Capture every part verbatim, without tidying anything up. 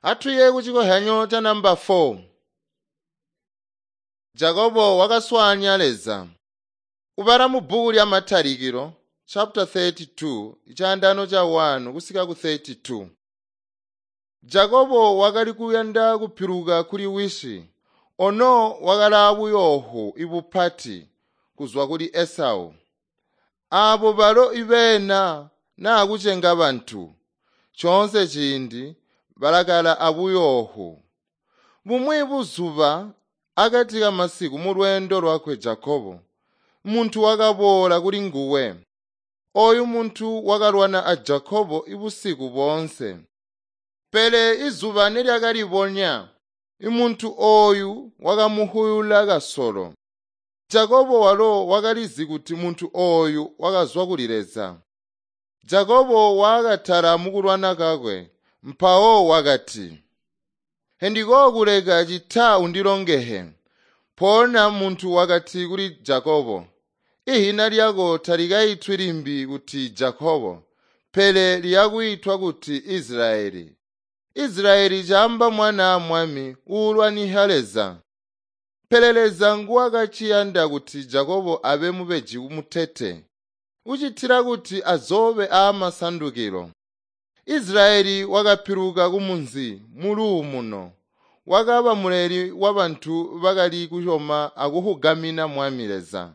Atuye kuchikohyanyo cha namba four. Jakobo wakaswaanya Leza. Ubala mu bbuku lya Matalikilo chapter thirty-two ichaandano cha one kusika ku thirty-two. Jakobo wakali kuyanda kupiluka kuli wisi, ono wakali buyoohu ibupati kuzwa kuli Esau. Aabo balo ibeena naa kucenga bantu, coonse ciindi balakala abuyoohu. Bumwi buzuba akati kamasiku mu lweendo lwakwe Jakobo, muntu wakaboola kuli nguwe. Oyu muntu wakalwana a Jakobo ibusiku boonse. Pele izuba nelyakalibonya, muntu oyu wakamuhuyula kasolo. Jakobo walo wakalizi kuti muntu oyu wakazwa kuli Leza. Jakobo wakatala mukulwana kakwe, mpawo wakati, Hendikokuleka cita undilongehe. Mpoonya muntu wakati kuli Jakobo, Ihina lyako talikaitwi limbi kuti Jakobo, pele liyakwiitwa kuti Israeli. Israeli caamba mwana mwami uulwaniha Leza. Pele Leza nguwakaciyanda kuti Jakobo abe mubeji mutete, ucitila kuti azobe aamasandukilo. Israeli wakapiluka kumunzi muluumuno, wakaba muleli wabantu bakali kusyoma akuhugamina Mwami Leza.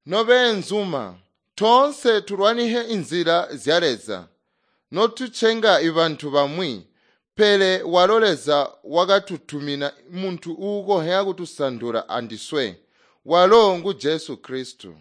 Nobeenzuma, toonse tulwanihe inzila zya Leza, notucenga ibantu bamwi, pele walo Leza wakatutumina muntu uukonzya kutusandula andiswe, walo ngu Jesu Kristu.